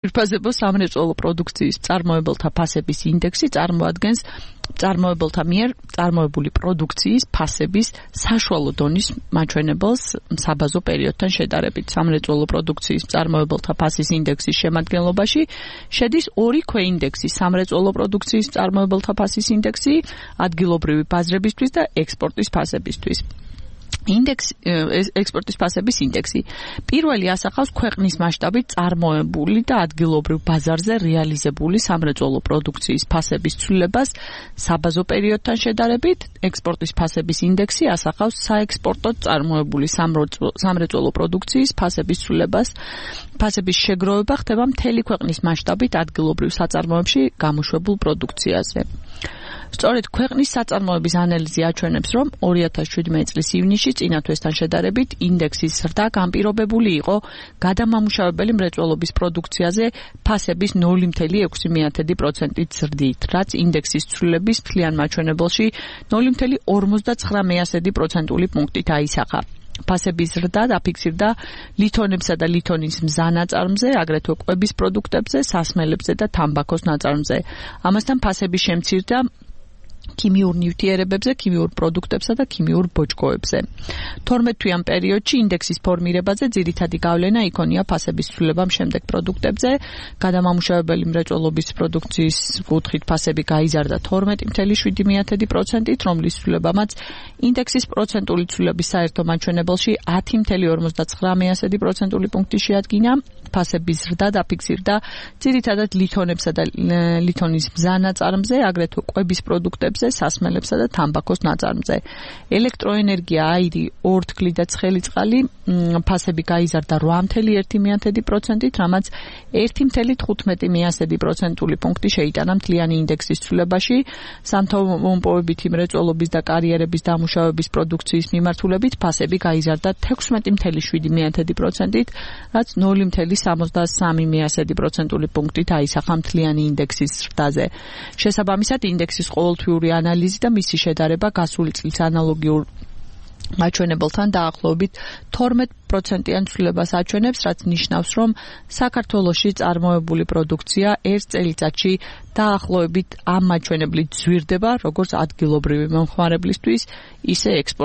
ძვირფასებო სამრეწველო პროდუქციის მწარმოებელთა ფასების ინდექსი წარმოადგენს მწარმოებელთა მიერ წარმოებული პროდუქციის ფასების საშუალო დონის მაჩვენებელს საბაზო პერიოდთან შედარებით. სამრეწველო პროდუქციის მწარმოებელთა ფასის ინდექსის შემადგენლობაში შედის ორი ქვეინდექსი: სამრეწველო პროდუქციის მწარმოებელთა ფასის ინდექსი, ადგილობრივი ბაზრებისთვის და ექსპორტის ფასებისთვის. ექსპორტის ფასების ინდექსი. პირველი ასახავს ქვეყნის მასშტაბით წარმოებული და ადგილობრივ ბაზარზე რეალიზებული სამრეწველო პროდუქციის ფასების ცვლილებას საბაზო პერიოდთან შედარებით. ექსპორტის ფასების ინდექსი ასახავს საექსპორტოდ წარმოებული სამრეწველო პროდუქციის ფასების ცვლილებას. ფასების შეგროვება ხდება მთელი ქვეყნის მასშტაბით ადგილობრივ საწარმოებში გამოშვებულ პროდუქციაზე. სწორედ ქვეყნის საწარმოების ანალიზი აჩვენებს, რომ 2017 წლის ივნისში წინა თვესთან შედარებით ინდექსის ზრდა განპირობებული იყო გადამამუშავებელი მრეწველობის პროდუქციაზე ფასების 0.6%-ით ზრდით, რაც ინდექსის ცვლილების მთლიან მაჩვენებელში 0.59%-ული პუნქტით აისახა. ფასების ზრდა დაფიქსირდა ლითონებსა და ლითონის მზანაწარმზე, აგრეთვე კვების პროდუქტებზე, სასმელებზე და თამბაქოს ნაწარმზე. ამასთან ფასები შემცირდა ქიმიურ ნივთიერებებზე, ქიმიურ პროდუქტებსა და ქიმიურ ბოჭკოებზე. 12 თვიან პერიოდში ინდექსის ფორმირებაზე ძირითადი გავლენა იქონია ფასების ცვლილებამ შემდეგ პროდუქტებზე. გადამამუშავებელი მრეწველობის პროდუქციის კუთხით ფასები გაიზარდა 12.7%-ით, რომლის ცვლილებამაც ინდექსის პროცენტული ცვლილების საერთო მაჩვენებელში 10.59%-ული პუნქტი შეადგინა. ფასების ზრდა დაფიქსირდა ძირითადად ლითონებსა და ლითონის მზანაწარმზე, აგრეთვე კვების პროდუქტებზე, სასმელებსა და თამბაქოს ნაწარმზე. ელექტროენერგია, აირი, ორთქლი და ცხელი წყალი ფასები გაიზარდა 8.1%-ით, რამაც 1.15%-ული პუნქტი შეიტანა მთლიანი ინდექსის ცვლილებაში. სამთავრობოებითი მრეწველობის და კარიერების დამუშავების პროდუქციის მიმართულებით ფასები გაიზარდა 16.7%-ით, რაც 0.73%-ული პუნქტით აისახა მთლიანი ინდექსის ზრდაზე. შესაბამისად, ინდექსის ყოველთვიური ანალიზი და მისი შედარება გასული წლის ანალოგიურ მაჩვენებელთან დაახლოებით 12%-იან ცვლილებას აჩვენებს, რაც ნიშნავს, რომ საქართველოში წარმოებული პროდუქცია ერთ წელიწადში დაახლოებით ამ მაჩვენებლით ზვირდება, როგორც ადგილობრივი მომხმარებლისთვის, ისე ექსპორტ